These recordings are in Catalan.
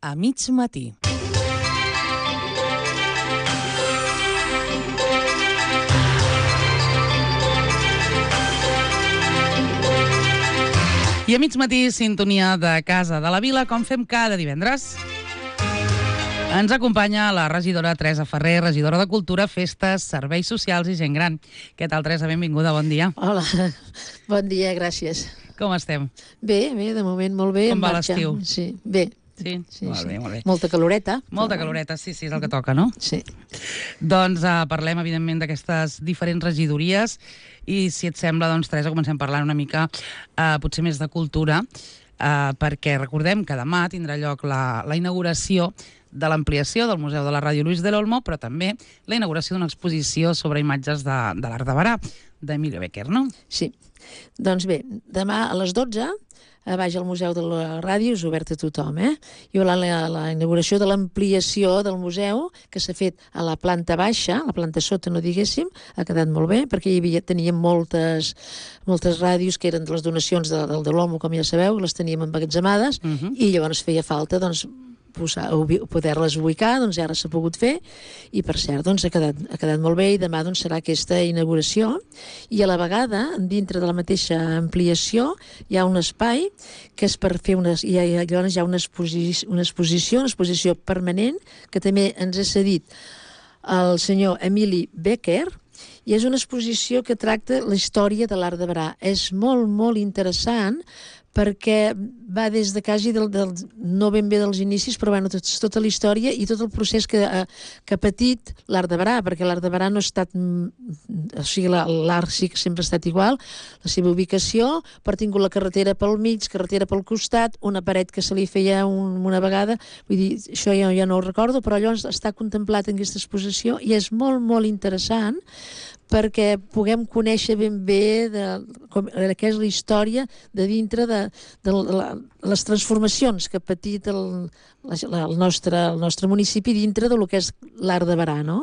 a mig matí. I a mig matí, sintonia de Casa de la Vila, com fem cada divendres. Ens acompanya la regidora Teresa Ferrer, regidora de Cultura, Festes, Serveis Socials i Gent Gran. Què tal, Teresa? Benvinguda, bon dia. Hola, bon dia, gràcies. Com estem? Bé, de moment molt bé. Com va l'estiu? Sí, bé. Sí? Molt bé. Molta caloreta. Molta caloreta, sí, és el que toca, no? Sí. Doncs parlem, evidentment, d'aquestes diferents regidories i, si et sembla, doncs, Teresa, comencem parlant una mica, potser més de cultura, perquè recordem que demà tindrà lloc la inauguració de l'ampliació del Museu de la Ràdio Luis del Olmo, però també la inauguració d'una exposició sobre imatges de l'Art de Berà, d'Emilio Bécquer, no? Sí. Doncs bé, demà a les 12, a baix al Museu de la Ràdio, és obert a tothom, Hi haurà la inauguració de l'ampliació del museu, que s'ha fet a la planta baixa, a la planta sota, no diguéssim, ha quedat molt bé, perquè teníem moltes ràdios que eren de les donacions de l'Olmo, com ja sabeu, les teníem emmagatzemades, i llavors feia falta, doncs, poder-les ubicar, doncs ara s'ha pogut fer, i per cert, doncs ha quedat molt bé, i demà doncs serà aquesta inauguració, i a la vegada, dintre de la mateixa ampliació, hi ha un espai que és per fer llavors hi ha una exposició permanent, que també ens ha cedit el senyor Emili Bécquer, i és una exposició que tracta la història de l'Art de Berà. És molt, molt interessant, perquè va des de quasi no ben bé dels inicis, però bueno, tota la història i tot el procés que ha patit l'Art de Berà, perquè l'Art de Berà no ha estat... O sigui, l'art sí que sempre ha estat igual, la seva ubicació, però ha tingut la carretera pel mig, carretera pel costat, una paret que se li feia una vegada, vull dir, això ja no ho recordo, però llavors està contemplat en aquesta exposició i és molt, molt interessant, perquè puguem conèixer ben bé què és la història de dintre de les transformacions que ha patit el nostre municipi dintre del que és l'Art de Berà, no?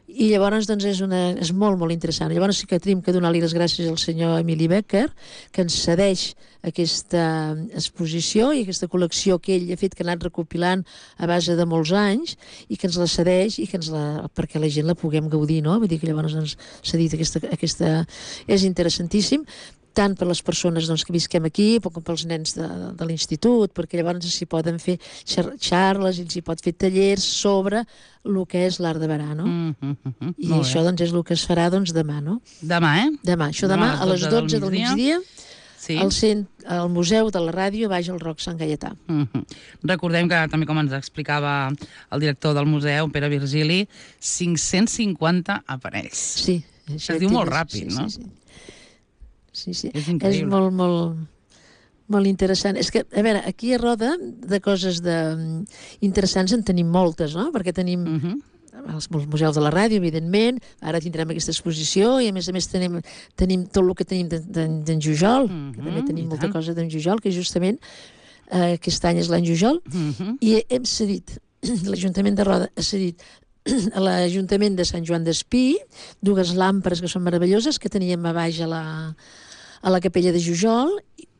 I llavors doncs és molt, molt interessant. Llavors sí que tenim que donar-li les gràcies al senyor Emili Bécquer, que ens cedeix aquesta exposició i aquesta col·lecció que ell ha fet, que ha anat recopilant a base de molts anys, i que ens la cedeix i perquè la gent la puguem gaudir, no? Vull dir que llavors ens s'ha dit aquesta... És interessantíssim, tant per les persones que visquem aquí, com pels nens de l'institut, perquè llavors s'hi poden fer xarles i s'hi pot fer tallers sobre el que és l'Art de Berà, no? I això és el que es farà demà, no? Demà, Demà. Això demà a les 12 del migdia, al Museu de la Ràdio, baix al Roc Sant Gaietà. Recordem que, també com ens explicava el director del museu, Pere Virgili, 550 aparells. Sí. Es diu molt ràpid, no? Sí. És increïble. És molt, molt, molt interessant. És que, a veure, aquí a Roda, de coses interessants en tenim moltes, no? Perquè tenim els museus de la ràdio, evidentment, ara tindrem aquesta exposició, i a més tenim tot el que tenim d'en Jujol, que també tenim molta cosa d'en Jujol, que justament aquest any és l'any Jujol, i hem cedit, l'Ajuntament de Roda ha cedit a l'Ajuntament de Sant Joan d'Espí, dues làmperes que són meravelloses, que teníem a baix a la capella de Jujol,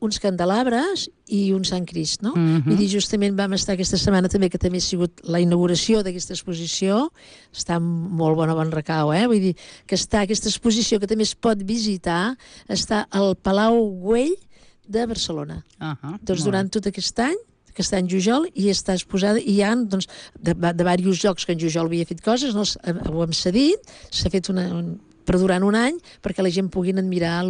uns candelabres i un Sant Crist, no? Vull dir, justament vam estar aquesta setmana també, que també ha sigut la inauguració d'aquesta exposició, està molt bon recau, Vull dir, que està aquesta exposició que també es pot visitar, està al Palau Güell de Barcelona. Doncs durant tot aquest any Jujol, i està exposada, i hi ha de diversos jocs que en Jujol havia fet coses, ho hem cedit, s'ha fet per durant un any, perquè la gent puguin admirar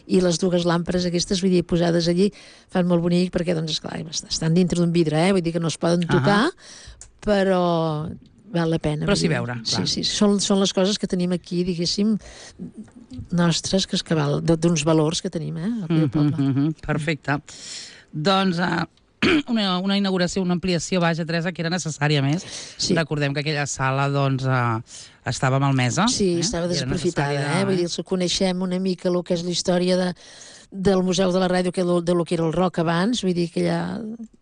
i les dues làmperes aquestes, vull dir, posades allí, fan molt bonic, perquè, doncs, esclar, estan dintre d'un vidre, vull dir que no es poden tocar, però val la pena. Però s'hi veure, clar. Sí, són les coses que tenim aquí, diguéssim, nostres, que val d'uns valors que tenim, aquí al poble. Perfecte. Doncs... una inauguració, una ampliació, vaja, Teresa, que era necessària més. Recordem que aquella sala, doncs, estava malmesa. Sí, estava desaprofitada, Vull dir, coneixem una mica el que és la història del Museu de la Ràdio, de lo que era el rock abans, vull dir que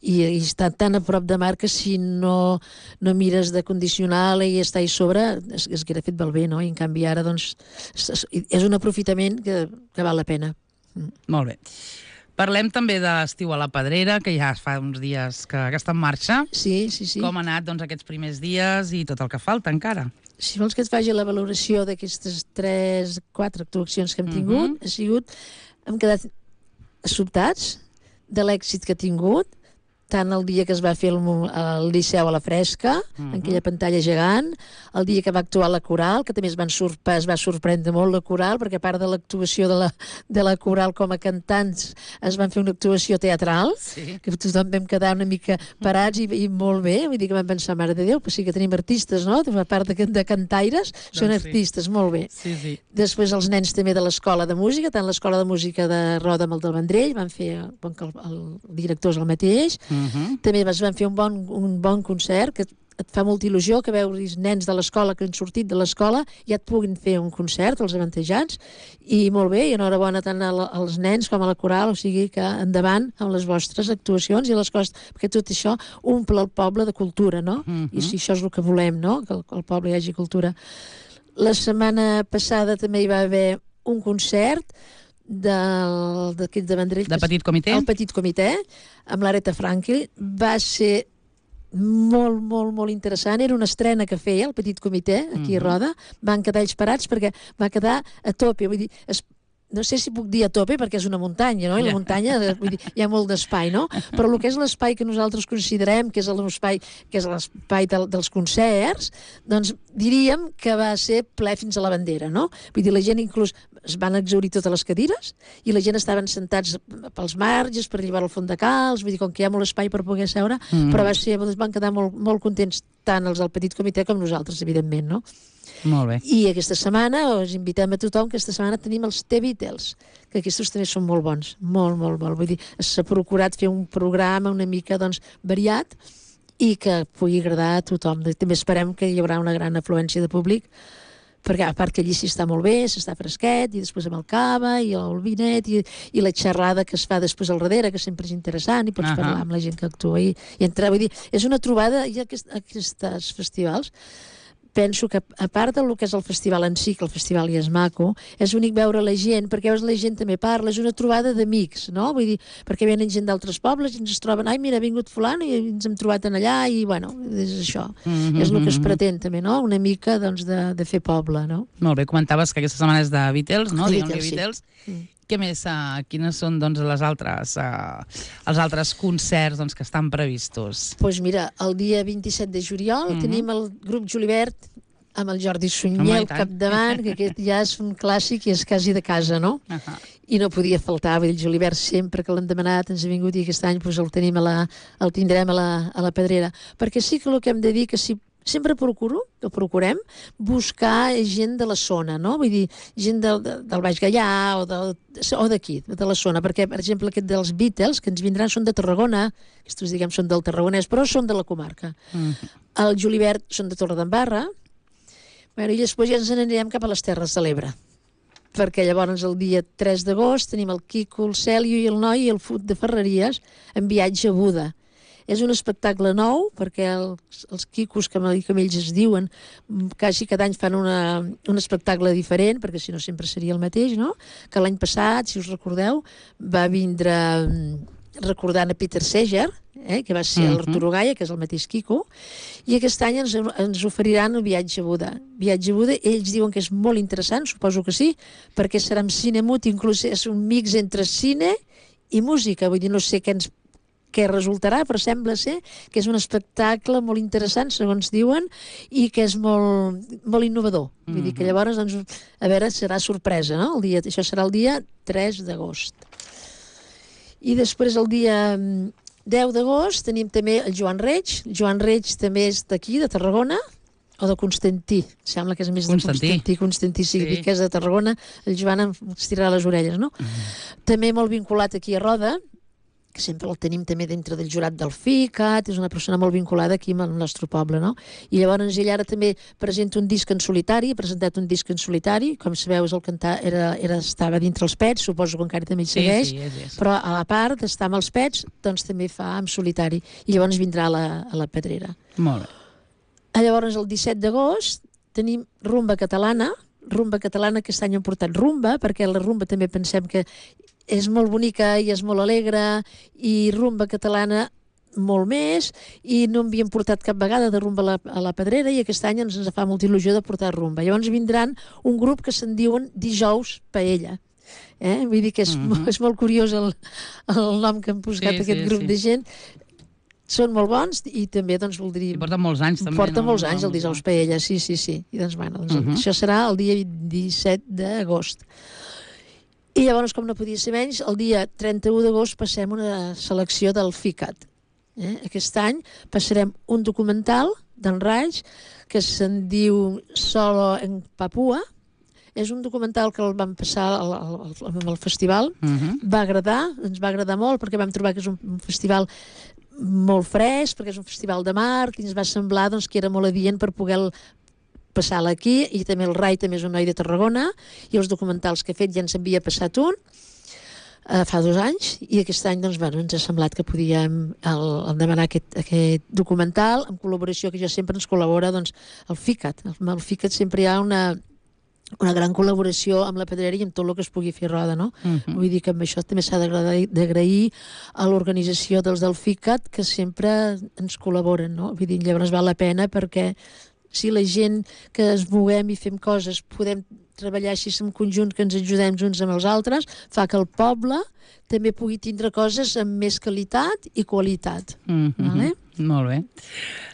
i està tan a prop de mar que si no mires de condicionar-la i està allà sobre, es hauria fet bé, no? I en canvi ara, doncs, és un aprofitament que val la pena. Molt bé. Parlem també de l'Estiu a la Pedrera, que ja fa uns dies que està en marxa. Sí. Com ha anat aquests primers dies i tot el que falta encara? Si vols que et faci la valoració d'aquestes 3-4 actuacions que hem tingut, hem quedat sobtats de l'èxit que ha tingut, tant el dia que es va fer el Liceu a la Fresca, en aquella pantalla gegant, el dia que va actuar la Coral, que també es va sorprendre molt la Coral, perquè a part de l'actuació de la Coral com a cantants, es van fer una actuació teatral, que tothom vam quedar una mica parats i molt bé, vull dir que vam pensar, mare de Déu, però sí que tenim artistes, no? A part de cantaires, són artistes, molt bé. Després els nens també de l'Escola de Música, tant l'Escola de Música de Roda amb el del Vendrell, van fer, el director és el mateix, també es van fer un bon concert, que et fa molta il·lusió que veuris nens de l'escola que han sortit de l'escola i et puguin fer un concert, els avantatjats, i molt bé, i enhorabona tant als nens com a la Coral, o sigui que endavant amb les vostres actuacions i les coses, perquè tot això omple el poble de cultura, no? I si això és el que volem, no? Que al poble hi hagi cultura. La setmana passada també hi va haver un concert d'aquest de Vendrell, de Petit Comitè? El Petit Comitè, amb l'Aretha Franklin. Va ser molt interessant. Era una estrena que feia el Petit Comitè aquí a Roda. Van quedar ells parats perquè va quedar a tope. Vull dir, no sé si puc dir a tope perquè és una muntanya, no? I la muntanya, vull dir, hi ha molt d'espai, no? Però el que és l'espai que nosaltres considerem que és l'espai dels concerts, doncs diríem que va ser ple fins a la bandera, no? Vull dir, la gent inclús es van exhaurir totes les cadires i la gent estaven sentats pels marges per llevar el fons de calç, vull dir, com que hi ha molt espai per poder seure, però van quedar molt contents tant els del Petit Comitè com nosaltres, evidentment, no? Molt bé. I aquesta setmana us invitem a tothom, que aquesta setmana tenim els T-Beatles, que aquests també són molt bons, molt. Vull dir, s'ha procurat fer un programa una mica, doncs, variat i que pugui agradar a tothom. També esperem que hi haurà una gran afluència de públic, perquè a part que allí s'hi està molt bé, s'està fresquet, i després amb el cava i el vinet i la xerrada que es fa després al darrere, que sempre és interessant, i pots parlar amb la gent que actua i entrar. Vull dir, és una trobada, i aquests festivals, penso que a part del que és el festival en si, que el festival ja és maco, és bonic veure la gent, perquè veus la gent també parla, és una trobada d'amics, no? Vull dir, perquè venen gent d'altres pobles i ens troben, ai, mira, ha vingut fulano i ens hem trobat en allà i, bueno, és això. És el que es pretén també, no? Una mica, doncs, de fer poble, no? Molt bé, comentaves que aquesta setmana és de Beatles, no? Beatles, sí. Què més? Quines són, doncs, els altres concerts que estan previstos? Doncs mira, el dia 27 de juliol tenim el grup Julivert amb el Jordi Sunyer al capdavant, que aquest ja és un clàssic i és quasi de casa, no? I no podia faltar, vull dir, el Julivert sempre que l'hem demanat ens ha vingut i aquest any el tindrem a la Pedrera. Perquè sí que el que hem de dir que sempre procurem buscar gent de la zona, no? Vull dir, gent del Baix Gaià o d'aquí, de la zona, perquè, per exemple, aquest dels Beatles, que ens vindran, són de Tarragona, aquests, diguem, són del Tarragonès, però són de la comarca. El Julivert són de Torredembarra, i després ja ens n'anirem cap a les Terres de l'Ebre, perquè llavors el dia 3 d'agost tenim el Quico, el Cèlio i el Noi i el Fut de Ferreries en viatge a Buda. És un espectacle nou, perquè els Quicos, que ells es diuen, quasi cada any fan un espectacle diferent, perquè si no sempre seria el mateix, no? Que l'any passat, si us recordeu, va vindre recordant a Peter Seeger, que va ser l'Arturo Gaia, que és el mateix Quico, i aquest any ens oferiran el Viatge a Buda. Viatge a Buda, ells diuen que és molt interessant, suposo que sí, perquè serà amb cine mut, inclús és un mix entre cine i música, vull dir, no sé què resultarà, però sembla ser que és un espectacle molt interessant, segons diuen, i que és molt innovador. Vull dir que llavors, doncs, a veure, serà sorpresa, no? Això serà el dia 3 d'agost. I després el dia 10 d'agost tenim també el Joan Reig. Joan Reig també és d'aquí, de Tarragona, o de Constantí. Sembla que és més de Constantí, sí, que és de Tarragona. El Joan ens tirarà les orelles, no? També molt vinculat aquí a Roda, que sempre el tenim també dintre del jurat del FICAT, és una persona molt vinculada aquí al nostre poble, no? I llavors ell ara també presenta un disc en solitari, ha presentat un disc en solitari, com sabeu, és el cantar, estava dintre els Pets, suposo que encara també hi segueix, però a la part d'estar amb els Pets, doncs també fa en solitari, i llavors vindrà a la Pedrera. Molt bé. Llavors el 17 d'agost tenim Rumba Catalana, aquest any hem portat rumba, perquè la rumba també pensem que és molt bonica i és molt alegre, i rumba catalana molt més, i no havíem portat cap vegada de rumba a la Pedrera, i aquest any ens fa molta il·lusió de portar rumba. Llavors vindran un grup que se'n diuen Dijous Paella. Vull dir que és molt curiós el nom que han posat aquest grup de gent. Són molt bons i també, doncs, voldria... I porten molts anys, també. Porten molts anys, el Dijous Paella, sí. I doncs, bueno, això serà el dia 17 d'agost. I llavors, com no podia ser menys, el dia 31 d'agost passem una selecció del FICAT. Aquest any passarem un documental d'en Raig que se'n diu Solo en Papua. És un documental que el vam passar al festival. Va agradar, ens va agradar molt, perquè vam trobar que és un festival molt fresc, perquè és un festival de mar, i ens va semblar doncs, que era molt adient per poder passar-la aquí, i també el Rai també és un noi de Tarragona, i els documentals que he fet ja ens havia passat un, fa 2 anys, i aquest any doncs, bueno, ens ha semblat que podíem demanar aquest documental, en col·laboració, que ja sempre ens col·labora doncs, el FICAT. El FICAT sempre hi ha una gran col·laboració amb la Pedrera i amb tot el que es pugui fer roda, no? Vull dir que amb això també s'ha d'agrair a l'organització dels del FICAT, que sempre ens col·laboren, no? Vull dir, llavors val la pena, perquè si la gent que es moguem i fem coses podem treballar així en conjunt, que ens ajudem uns amb els altres, fa que el poble també pugui tindre coses amb més qualitat i qualitat. Vale? Molt bé.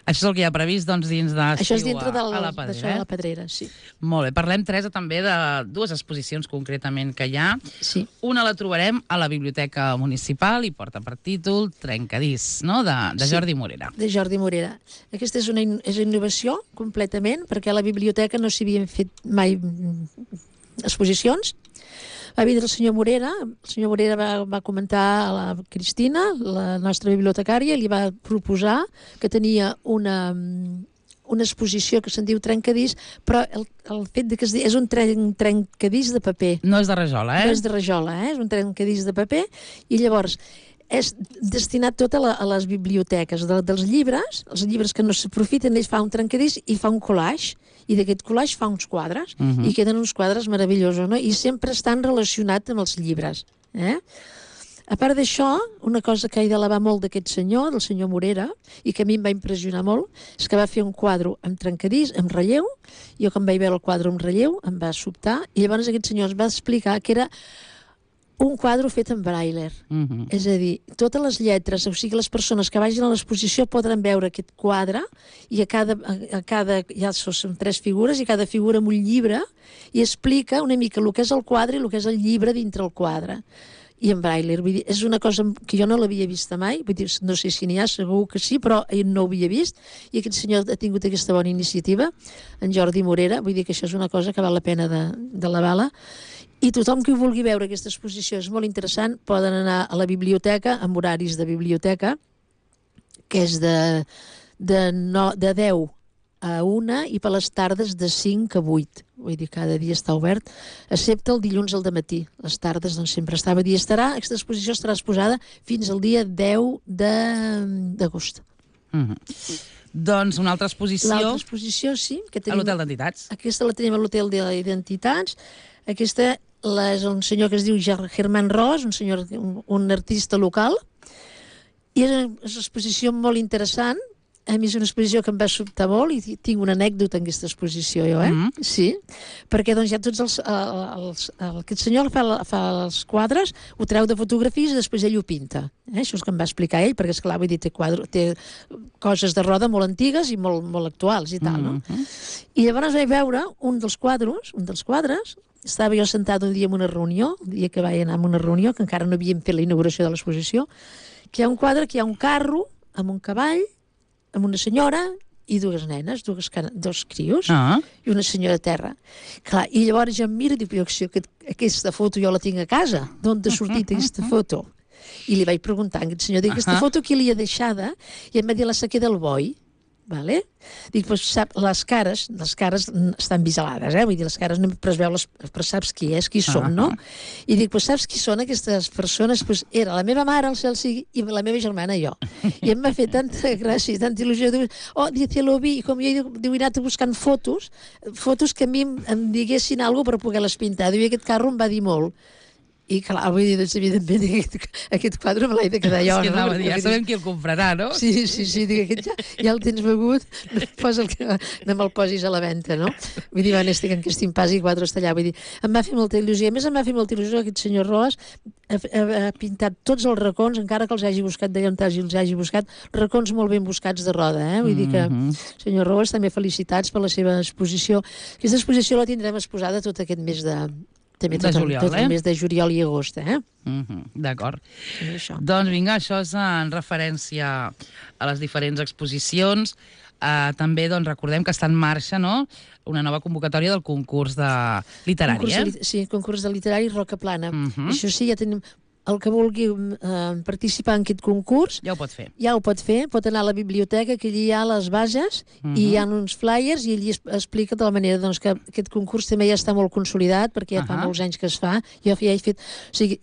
Això és el que hi ha previst, doncs, dins d'estiu això és dintre a la Pedrera. D'això de la Pedrera, sí. Molt bé. Parlem, Teresa, també de 2 exposicions concretament que hi ha. Sí. Una la trobarem a la Biblioteca Municipal i porta per títol Trencadís, no?, de Jordi Morera. De Jordi Morera. Aquesta és una innovació completament, perquè a la biblioteca no s'hi havien fet mai exposicions. Va vindre el senyor Morera va comentar a la Cristina, la nostra bibliotecària, i li va proposar que tenia una exposició que se'n diu Trencadís, però el fet de que és un trencadís de paper. No és de rajola, No és de rajola, és un trencadís de paper, i llavors és destinat tot a les biblioteques dels llibres, els llibres que no s'aprofiten, ell fa un trencadís i fa un collage, i d'aquest collage fa uns quadres, i queden uns quadres meravellosos, no? I sempre estan relacionats amb els llibres. A part d'això, una cosa que he d'elevar molt d'aquest senyor, del senyor Morera, i que a mi em va impressionar molt, és que va fer un quadre amb trencadís, amb relleu. Jo, quan vaig veure el quadre amb relleu, em va sobtar, i llavors aquest senyor ens va explicar que era un quadre fet en braille. És a dir, totes les lletres, o sigui, les persones que vagin a l'exposició podran veure aquest quadre, i a cada ja són 3 figures, i cada figura amb un llibre, i explica una mica el que és el quadre i el que és el llibre dintre el quadre. I en braille, vull dir, és una cosa que jo no l'havia vista mai, vull dir, no sé si n'hi ha, segur que sí, però ell no ho havia vist, i aquest senyor ha tingut aquesta bona iniciativa, en Jordi Morera, vull dir que això és una cosa que val la pena de la bala. I tothom que vulgui veure aquesta exposició és molt interessant, poden anar a la biblioteca, amb horaris de biblioteca, que és de 10 a 1 i per les tardes de 5 a 8. Vull dir, cada dia està obert, excepte el dilluns al dematí. Les tardes doncs, sempre estava i estarà. Aquesta exposició estarà exposada fins al dia 10 d'agost. Doncs una altra exposició... L'altra exposició, sí. A l'Hotel d'Entitats. Aquesta la tenim a l'Hotel d'Entitats. Aquesta és un senyor que es diu Germán Ros, un artista local, i és una exposició molt interessant. A mi és una exposició que em va sobtar molt, i tinc una anècdota en aquesta exposició, jo, Sí, perquè doncs ja tots aquest senyor fa els quadres, ho treu de fotografies i després ell ho pinta. Això és que em va explicar ell, perquè esclar, vull dir, té coses de roda molt antigues i molt actuals i tal, no? I llavors vaig veure un dels quadres, estava jo sentat un dia en una reunió, el dia que vaig anar a una reunió, que encara no havíem fet la inauguració de l'exposició, que hi ha un quadre, que hi ha un carro amb un cavall, amb una senyora i 2 nenes, 2 crios, i una senyora a terra. Clar, i llavors jo em miro i dic, aquesta foto jo la tinc a casa, d'on ha sortit aquesta foto? I li vaig preguntar a aquest senyor, dic, aquesta foto qui li ha deixada? I em va dir la sequer del boi. Vale? Dic, doncs les cares estan vigilades, vull dir, les cares no es veu, però saps qui són, no? I dic, doncs saps qui són aquestes persones? Doncs era la meva mare, el cel sigui, i la meva germana i jo. I em va fer tanta gràcia, tanta il·lusió, dice, lo vi, i com jo he anat buscant fotos que a mi em diguessin alguna cosa per poder-les pintar. Diu, aquest carro em va dir molt. I clar, vull dir, doncs, evidentment, aquest quadre me l'he de quedar jo. És que no? anava a dir, ja sabem qui el comprarà, no? Sí, dic, aquest ja el tens begut, no me'l posis a la venda, no? Vull dir, estic en Castim Pas i quadre està allà. Vull dir, em va fer molta il·lusió. A més, em va fer molta il·lusió aquest senyor Roas ha pintat tots els racons, encara que els hagi buscat d'allà on els hagi buscat, racons molt ben buscats de Roda, eh? Vull dir que, senyor Roas, també felicitats per la seva exposició. Aquesta exposició la tindrem exposada tot aquest mes de juliol, tot el mes de juliol i agost, eh? D'acord. Doncs vinga, això és en referència a les diferents exposicions. També doncs, recordem que està en marxa, no?, una nova convocatòria del concurs literari, Sí, concurs de literari Roca Plana. Això sí, ja tenim... El que vulgui participar en aquest concurs ja ho pot fer. Ja ho pot fer, pot anar a la biblioteca, que allí hi ha les bases i hi ha uns flyers i allí explica de la manera doncs, que aquest concurs també ja està molt consolidat perquè ja fa molts anys que es fa. Jo ja he fet, o sigui,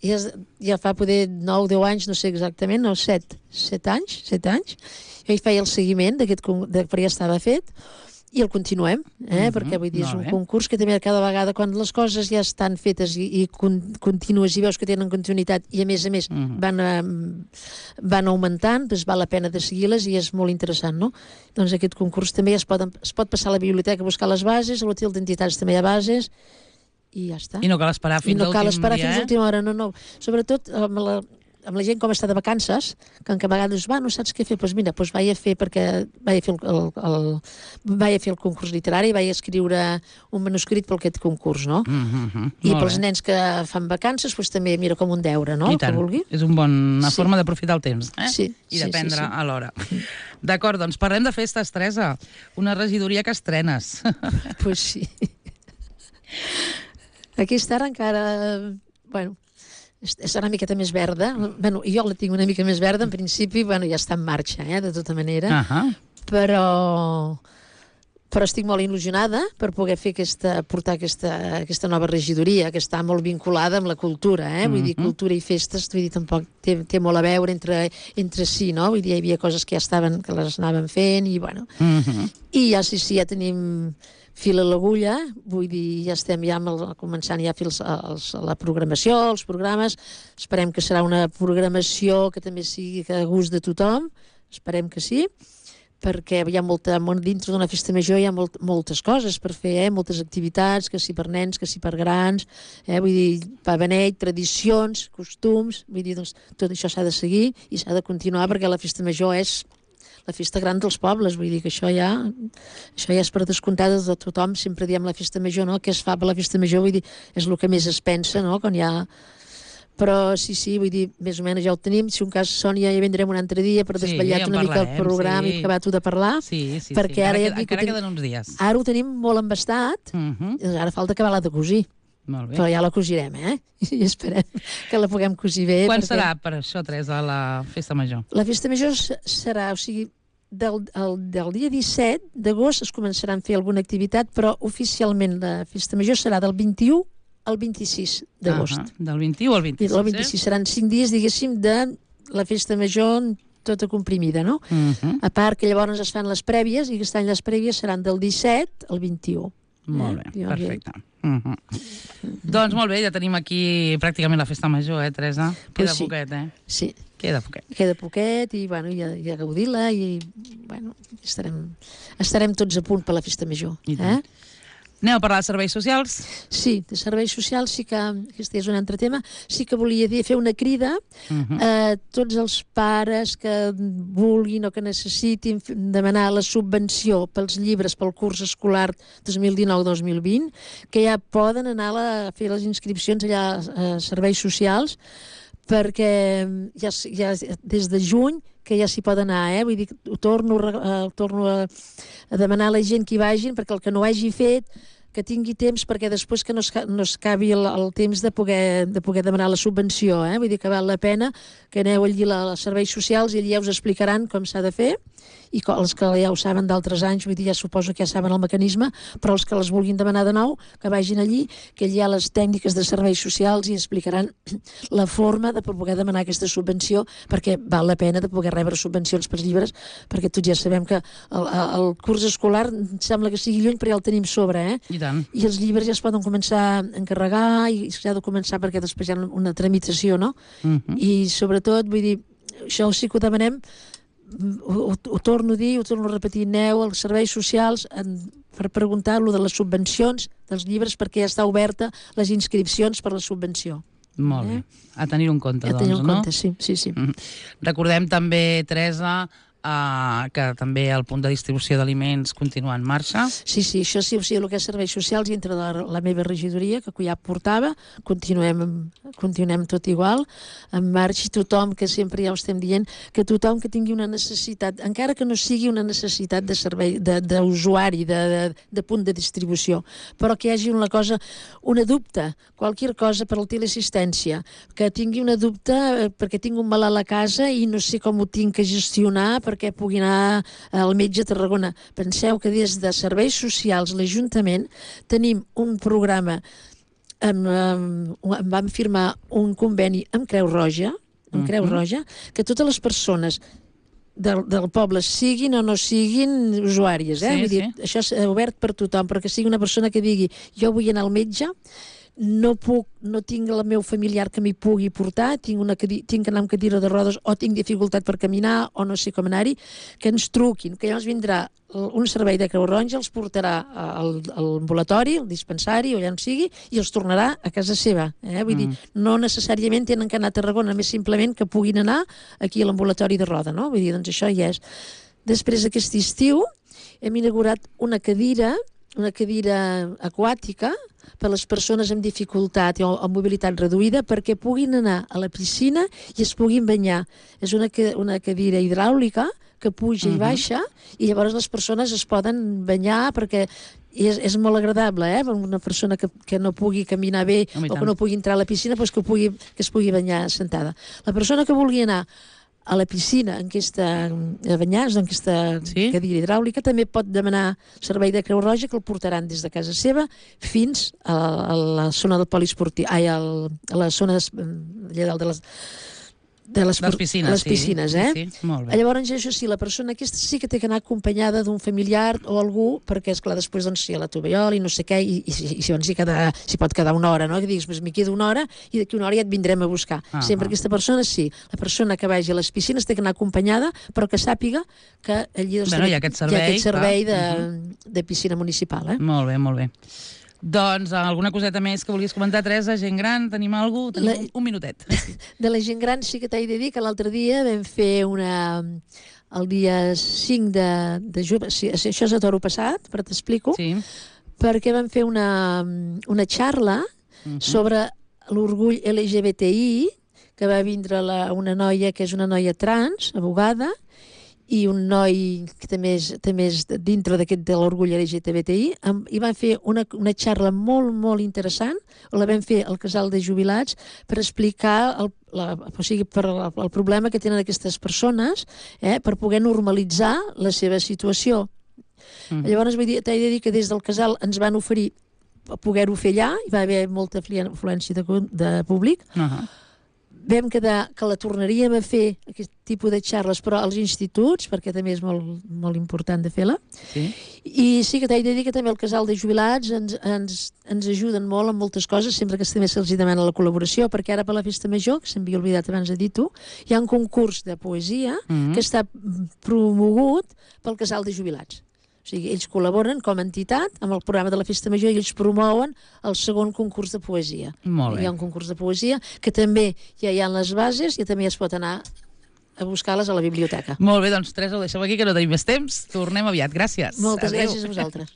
ja fa poder 9, 10 anys, no sé exactament, no, 7 anys. Jo hi feia el seguiment perquè ja estava fet. I el continuem, perquè vull dir, és un concurs que també cada vegada, quan les coses ja estan fetes i continues i veus que tenen continuïtat i a més van augmentant, doncs val la pena de seguir-les i és molt interessant, no? Doncs aquest concurs també es pot passar a la biblioteca a buscar les bases, a l'hotel d'entitats també hi ha bases i ja està. I no cal esperar fins a l'última hora, no. Sobretot amb la gent com està de vacances, que a vegades no saps què fer, doncs mira, vaig a fer el concurs literari, vaig a escriure un manuscrit per aquest concurs, no? I pels nens que fan vacances, doncs també mira com un deure, no? I tant, és una bona forma d'aprofitar el temps, i d'aprendre alhora. D'acord, doncs parlem de festes, Teresa, una regidoria que estrenes. Doncs sí. Aquesta ara encara, és una miqueta més verda. Jo la tinc una mica més verda, en principi, ja està en marxa, de tota manera, però estic molt il·lusionada per poder portar aquesta nova regidoria, que està molt vinculada amb la cultura, vull dir, cultura i festes, vull dir, tampoc té molt a veure entre si, no? Vull dir, hi havia coses que que les anàvem fent, i i ja tenim fil a l'agulla, vull dir, ja estem començant ja a fer la programació, els programes. Esperem que serà una programació que també sigui a gust de tothom, esperem que sí, perquè hi ha dintre d'una festa major hi ha moltes coses per fer, moltes activitats, que si per nens, que si per grans, vull dir, pa beneit, tradicions, costums, vull dir, doncs tot això s'ha de seguir i s'ha de continuar perquè la festa major és la festa gran dels pobles, vull dir que això ja és per descomptat de tothom, sempre diem la festa major, no? Què es fa per la festa major, vull dir, és el que més es pensa, no? Quan hi ha... Però sí, vull dir, més o menys ja ho tenim, si un cas, Sònia, ja vindrem un altre dia per desvetllar-te una mica el programa i acabar tu de parlar. Sí, perquè encara queden uns dies. Ara ho tenim molt embastat, ara falta acabar la de cosir. Molt bé. Però ja la cosirem, i esperem que la puguem cosir bé. Quan serà per això, Teresa, la festa major? La festa major serà, o sigui, del dia 17 d'agost es començarà a fer alguna activitat, però oficialment la festa major serà del 21 al 26 d'agost. Del 21 al 26, El 26 seran 5 dies, diguéssim, de la festa major tota comprimida, no? A part que llavors es fan les prèvies, i aquest any les prèvies seran del 17 al 21. Molt bé, perfecte. Doncs molt bé, ja tenim aquí pràcticament la festa major, Teresa? Queda poquet, Sí. Queda poquet. Queda poquet i, i a gaudir-la i, estarem tots a punt per la festa major. Anem a parlar de serveis socials? Sí, de serveis socials sí que, aquest és un altre tema, sí que volia fer una crida a tots els pares que vulguin o que necessitin demanar la subvenció pels llibres pel curs escolar 2019-2020, que ja poden anar a fer les inscripcions allà a serveis socials, perquè ja des de juny que ja s'hi pot anar, vull dir, torno a demanar a la gent que hi vagin, perquè el que no hagi fet, que tingui temps, perquè després que no es acabi el temps de poder demanar la subvenció, vull dir que val la pena que aneu allí als serveis socials i allí ja us explicaran com s'ha de fer, i els que ja ho saben d'altres anys, vull dir, ja suposo que ja saben el mecanisme, però els que les vulguin demanar de nou, que vagin allí, que allà hi ha les tècniques de serveis socials i explicaran la forma de poder demanar aquesta subvenció, perquè val la pena de poder rebre subvencions per llibres, perquè tots ja sabem que el curs escolar sembla que sigui lluny, però ja el tenim sobre, I tant. I els llibres ja es poden començar a encarregar i s'ha de començar perquè després hi ha una tramitació, no? I sobretot, vull dir, això sí que ho demanem, ho torno a dir, ho torno a repetir, aneu als serveis socials per preguntar-lo de les subvencions dels llibres, perquè ja està oberta les inscripcions per la subvenció. Molt bé. A tenir un compte, doncs, no? A tenir un compte, sí. Recordem també, Teresa, que també el punt de distribució d'aliments continua en marxa. Sí, això sí, o sigui, el que és serveis socials dintre de la meva regidoria, que ja portava, continuem tot igual, en marxa, i tothom, que sempre ja ho estem dient, que tothom que tingui una necessitat, encara que no sigui una necessitat de servei, d'usuari, de punt de distribució, però que hi hagi una cosa, una dubte, qualsevol cosa per la teleassistència, que tingui una dubte perquè tinc un malalt a casa i no sé com ho tinc que gestionar perquè pugui anar al metge a Tarragona. Penseu que des de Serveis Socials, l'Ajuntament, tenim un programa, vam firmar un conveni amb Creu Roja, que totes les persones del poble, siguin o no siguin usuàries, vull dir, això és obert per tothom, però que sigui una persona que digui jo vull anar al metge, no tinc el meu familiar que m'hi pugui portar, tinc que anar amb cadira de rodes o tinc dificultat per caminar o no sé com anar-hi, que ens truquin, que llavors vindrà un servei de Creu Roja, els portarà al ambulatori, al dispensari o allà on sigui, i els tornarà a casa seva. Vull dir, no necessàriament tenen que anar a Tarragona, més simplement que puguin anar aquí a l'ambulatori de Roda, no? Vull dir, doncs això ja és. Després, aquest estiu, hem inaugurat una cadira aquàtica per a les persones amb dificultat o amb mobilitat reduïda, perquè puguin anar a la piscina i es puguin banyar. És una cadira hidràulica que puja i baixa, i llavors les persones es poden banyar perquè és molt agradable, una persona que no pugui caminar bé o que no pugui entrar a la piscina, doncs que es pugui banyar sentada. La persona que vulgui anar a la piscina a banyar-se en aquesta cadira hidràulica també pot demanar servei de Creu Roja, que el portaran des de casa seva fins a la zona del poliesportiu, a la zona de les piscines, Sí, molt bé. Llavors, això sí, la persona aquesta sí que té que anar acompanyada d'un familiar o algú, perquè, esclar, després si hi ha la tovallola i no sé què, i s'hi pot quedar una hora, no? Que diguis, m'hi quedo una hora i d'aquí una hora ja et vindrem a buscar. Sempre aquesta persona, sí. La persona que vagi a les piscines té que anar acompanyada, però que sàpiga que allí hi ha aquest servei de piscina municipal. Molt bé, molt bé. Doncs alguna coseta més que vulguis comentar, Teresa? Gent gran, tenim alguna cosa? Tenim un minutet. De la gent gran sí que t'he de dir que l'altre dia vam fer el dia 5 de juny, això és a toro passat, però t'explico, perquè vam fer una xarra sobre l'orgull LGBTI, que va vindre una noia que és una noia trans, abogada, i un noi que també és dintre d'aquest de l'orgull LGTBI, i van fer una xarra molt, molt interessant, la vam fer al casal de jubilats per explicar el problema que tenen aquestes persones, per poder normalitzar la seva situació. Llavors t'he de dir que des del casal ens van oferir poder-ho fer allà, hi va haver molta afluència de públic. Vam quedar que la tornaríem a fer, aquest tipus de xarres, però als instituts, perquè també és molt, molt important de fer-la. I sí que t'he de dir que també el casal de jubilats ens ajuden molt en moltes coses, sempre que també se'ls demana la col·laboració, perquè ara per la festa major, que s'havia oblidat abans de dir tu, hi ha un concurs de poesia que està promogut pel casal de jubilats. O sigui, ells col·laboren com a entitat amb el programa de la Festa Major i ells promouen el segon concurs de poesia. Molt bé. Hi ha un concurs de poesia que també ja hi ha les bases i també es pot anar a buscar-les a la biblioteca. Molt bé, doncs Teresa, ho deixem aquí, que no tenim més temps. Tornem aviat. Gràcies. Moltes gràcies a vosaltres.